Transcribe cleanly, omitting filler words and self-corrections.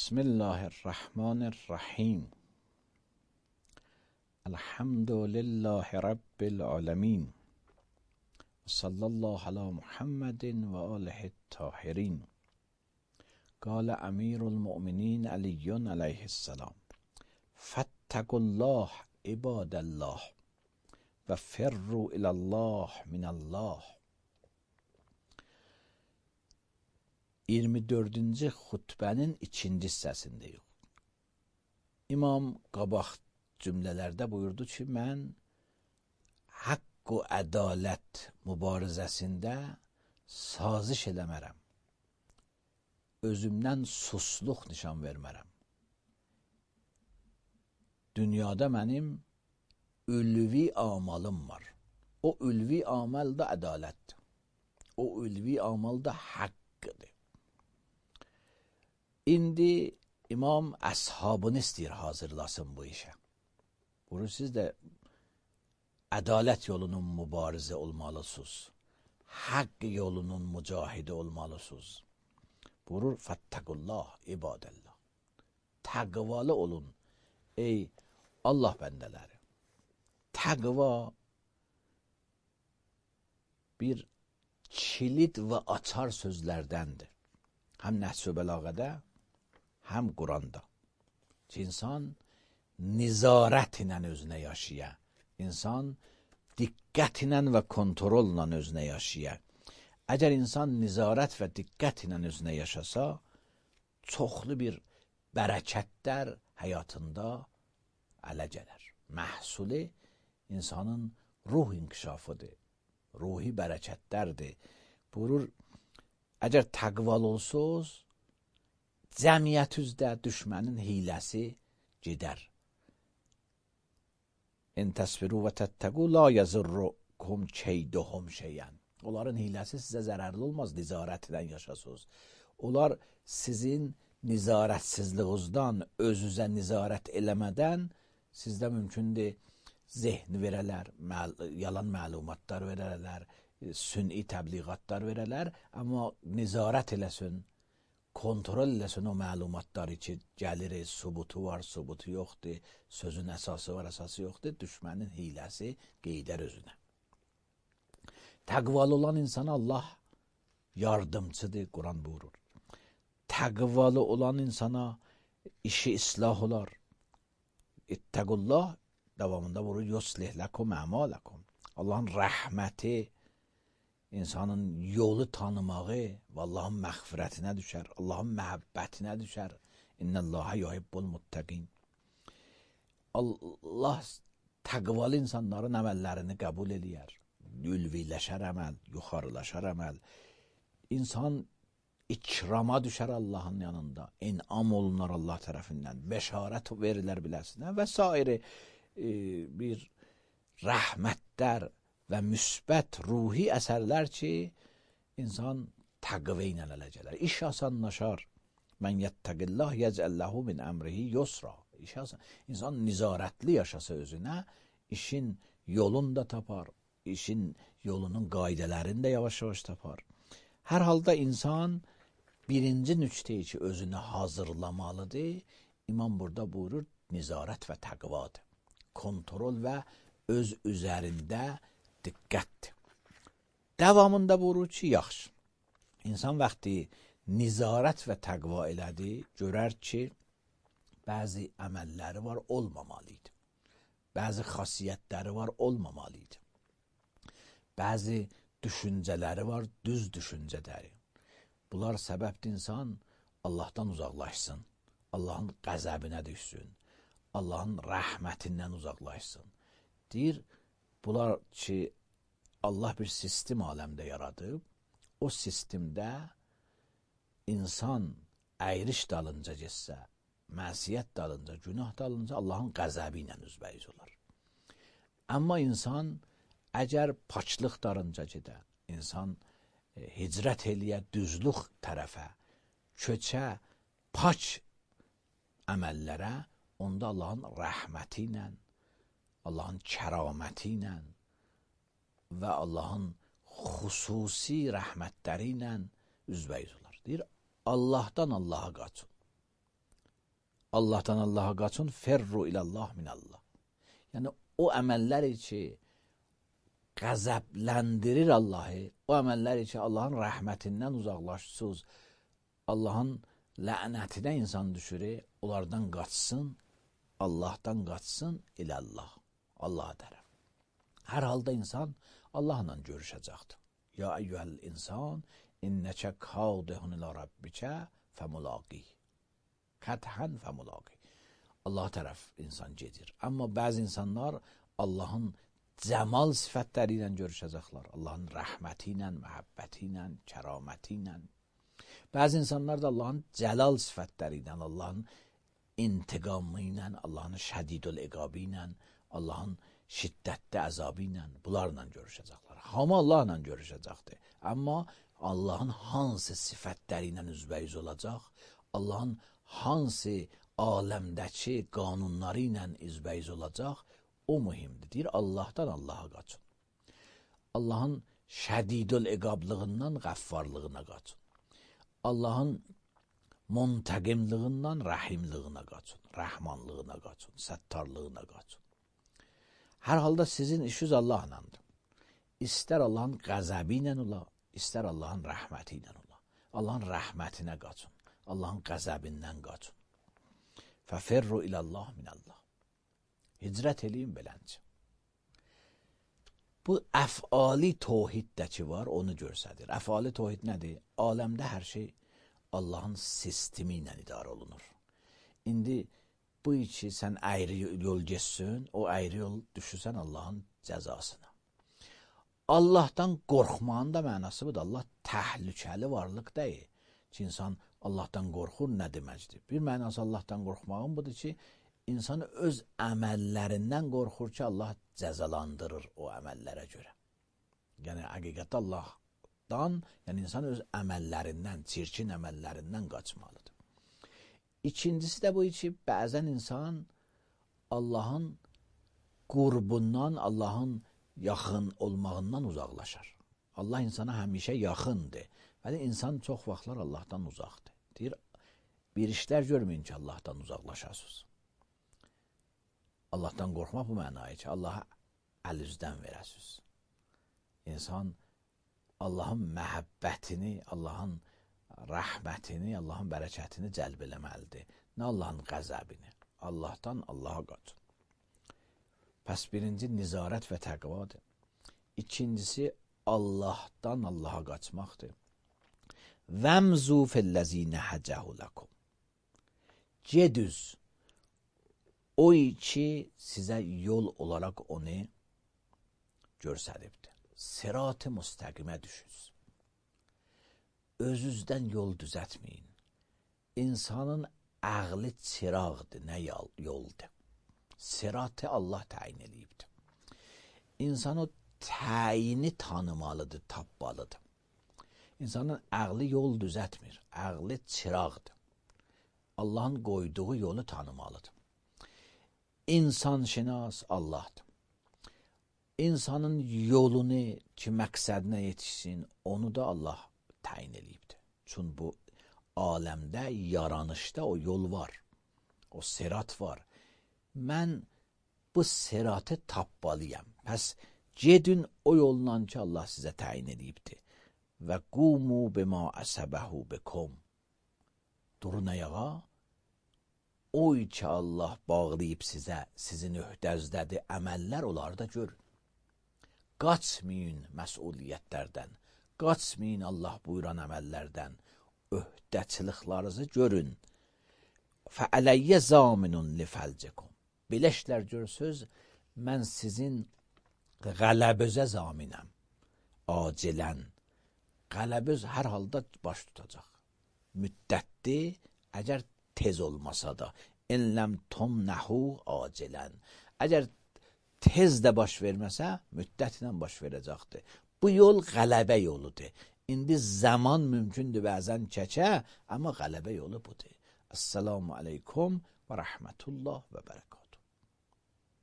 بسم الله الرحمن الرحیم. الحمد لله رب العالمین. صلی الله علی محمد و آله الطاهرین. قال امیر المؤمنین علی علیه السلام: فاتقوا الله عباد الله و فروا الی الله من الله. 24-cü xutbənin 2-ci hissəsindəyik. İmam qabaq cümlələrdə buyurdu ki, mən haqq və ədalət mübarizəsində saziş eləmərəm. Özümdən susluq nişan vermərəm. Dünyada mənim ülvi amalım var. O ülvi amal da ədalətdir. O ülvi amal da haqqdır. İndi imam əshabını istəyir hazırlasın bu işə. Buyurur, siz də ədalət yolunun mübarizə olmalısınız. Haqq yolunun mücahidi olmalısınız. Buyurur, fattaqullah ibadallah. Təqvalı olun ey Allah bəndələri. Təqva bir kilit və açar sözlərdəndir. Həm Nəhs-i Bəlağədə, həm Quranda. İnsan nizarət ilə özünə yaşaya. İnsan diqqət ilə və kontrolla özünə yaşaya. Əgər insan nizarət və diqqət ilə özünə yaşasa, çoxlu bir bərəkətlər həyatında ələ gələr. Məhsuli insanın ruh inkişafıdır. Ruhi bərəkətlərdir. Buyurur, əgər təqval olsuz, cəmiyyətüzdə düşmənin hiləsi gedər. İn təsbiru və təttəqu la yazurrukum keyduhum şeyən. Onların hiləsi sizə zərərli olmaz, nizarətlə yaşasınız. Onlar sizin nizarətsizliğinizdən, özünüzə nizarət eləmədən sizdə mümkündür zehni verələr, yalan məlumatlar verələr, sünni təbliğatlar verələr, amma nizarət eləsin, kontrol eləsin o məlumatları ki, gəlir, subutu var, subutu yoxdur, sözün əsası var, əsası yoxdur, düşmənin hiləsi qeydər özünə. Təqvalı olan insana Allah yardımcıdır, Quran buyurur. Təqvalı olan insana işi islah olar. İttəqullah davamında buyurur, yuslih ləkum əmələkum. Allahın rəhməti, insanın yolu tanımağı və Allahın məğfirətinə düşər, Allahın məhəbbətinə düşər. İnnəllâhə yuhibbul muttəqin. Allah təqvalı insanların əməllərini qəbul eləyər. Ülviləşər əməl, yuxarılaşar əməl. İnsan ikrama düşər Allahın yanında. İnam olunar Allah tərəfindən. Bəşarət verilər biləsinə və s. Bir rəhmətlər və müsbət ruhi əsərlər ki, insan təqvə ilə ələ gələr. İş asanlaşar. Mən yəttəqillah yəcəlləhu min əmrihi yusra. İnsan nizarətli yaşasa özünə, işin yolunu da tapar, işin yolunun qaydələrini də yavaş-yavaş tapar. Hər halda insan birinci nüqteyi ki, özünü hazırlamalıdır. İmam burada buyurur, nizarət və təqvadır. Kontrol və öz üzərində diqqətdir. Davamında buyurur ki, yaxşı. İnsan vaxtı nizarət və təqva elədi, görər ki, bəzi əməlləri var, olmamalıydı. Bəzi xasiyyətləri var, olmamalıydı. Bəzi düşüncələri var, düz düşüncələri. Bunlar səbəbdir insan Allahdan uzaqlaşsın, Allahın qəzəbinə düşsün, Allahın rəhmətindən uzaqlaşsın. Deyir, bunlar ki, Allah bir sistem aləmdə yaradıb, o sistemdə insan əyriş dalınca getsə, məsiyyət dalınca, günah dalınca Allahın qəzəbi ilə üzbəyiz olar. Amma insan əgər paçlıq darınca gedə, insan hicrət eləyə düzlük tərəfə, köçə, paç əməllərə, onda Allahın rəhməti ilə, Allahın kəraməti ilə və Allahın xüsusi rəhmətləri ilə üzbəyiz olar. Deyir, Allahdan Allaha qaçın. Allahdan Allaha qaçın, ferru ilallah minallah. Yəni o əməllər ki qəzəbləndirir Allahı, o əməllər ki Allahın rəhmətindən uzaqlaşsız, Allahın lənətinə insan düşürür, onlardan qaçsın, Allahdan qaçsın ilallah, Allaha tərəf. Hər halda insan Allahla görüşəcəkdir. Ya eyyuhəl insan, innəkə kadihun ilə rabbikə fəmulaqi. Qətən fəmulaqi. Allah tərəf insan gedir. Amma bəzi insanlar Allahın cəmal sifətləri ilə görüşəcəklər. Allahın rəhməti ilə, məhəbbəti ilə, kəraməti ilə. Bəzi insanlar da Allahın cəlal sifətləri ilə, Allahın intiqamı ilə, Allahın şədidül iqabı ilə, Allahın şiddətli əzabı ilə, bunlarla görüşəcəklər. Hamı Allahla görüşəcəkdir. Amma Allahın hansı sifətləri ilə üzbəyiz olacaq, Allahın hansı aləmdəki qanunları ilə üzbəyiz olacaq, o mühimdir. Deyir, Allahdan Allaha qaçın. Allahın şədidül iqablığından qəffarlığına qaçın. Allahın muntəqimlığından rəhimlığına qaçın. Rəhmanlığına qaçın. Səttarlığına qaçın. Hər halda sizin işiniz Allahlandır. İstər Allahın qəzəbi ilə ola, istər Allahın rəhməti ilə ola. Allahın rəhmətinə qaçın. Allahın qəzəbindən qaçın. Fəferru ilallah minallah. Hicrət eləyin beləncə. Bu əfali tohiddə ki var, onu görsədir. Əfali tohid nədir? Aləmdə hər şey Allahın sistemi ilə idarə olunur. İndi bu ki sən əyri yol geçsin, o əyri yol düşürsən Allahın cəzasına. Allahdan qorxmağın da mənası budur. Allah təhlükəli varlıq deyil. Ki insan Allahdan qorxur nə deməkdir? Bir mənası Allahdan qorxmağın budur ki, insan öz əməllərindən qorxur ki, Allah cəzalandırır o əməllərə görə. Yəni, həqiqətdə Allahdan, yəni insan öz əməllərindən, çirkin əməllərindən qaçmalıdır. İkincisi də bu ki, bəzən insan Allahın qurbundan, Allahın yaxın olmağından uzaqlaşar. Allah insana həmişə yaxındır. Bəli, insan çox vaxtlar Allahdan uzaqdır. Deyir, bir işlər görməyin ki, Allahdan uzaqlaşasınız. Allahdan qorxmaq bu mənayı ki, Allaha əl üzdən verəsiniz. İnsan Allahın məhəbbətini, Allahın rəhmətini, Allahın bərəkətini cəlb eləməlidir. Nə Allahın qəzəbini. Allahdan Allaha qaçın. Pəs birinci nizarət və təqvadır. İkincisi Allahdan Allaha qaçmaqdır. Vəmzu fəlləzinə həcəhu ləkum. Gedüz o ki sizə yol olaraq onu görsədibdir. Sirat-ı müstəqimə düşüz. Özünüzdən yol düzətməyin. İnsanın əqli çıraqdır, nə yoldur. Siratı Allah təyin edibdir. İnsan o təyini tanımalıdır, tapmalıdır. İnsanın əqli yol düzətmir, əqli çıraqdır. Allahın qoyduğu yolu tanımalıdır. İnsanşinas Allahdır. İnsanın yolunu ki, məqsədinə yetişsin, onu da Allah təyin edibdir. Çünki bu aləmdə, yaranışda o yol var, o sirat var. Mən bu siratı tapmalıyam. Pəs gedin o yolla ki, Allah sizə təyin edibdir. Və qumu bima əsəbəhu bikum. Durun ayağa. Oy ki, Allah bağlayıb sizə, sizin öhdəzdədir əməllər, onlarda görün. Qaçmayın məsuliyyətlərdən, qaçmayın Allah buyuran əməllərdən, öhdəçiliklarınızı görün. Fəələyyə zaminun li fəlcikum. Belə işlər görsüz, mən sizin qələbözə zaminəm, acilən. Qələböz hər halda baş tutacaq. Müddətli, əgər tez olmasa da, enləm tomnəhu acilən. Əgər tez də baş verməsə, müddətlə baş verəcəkdir. Bu yol qələbə yoludur. İndi zaman mümkündür bəzən çəkə, amma qələbə yolu budur. Esselamu aleykum və rəhmətullah və bərəkət.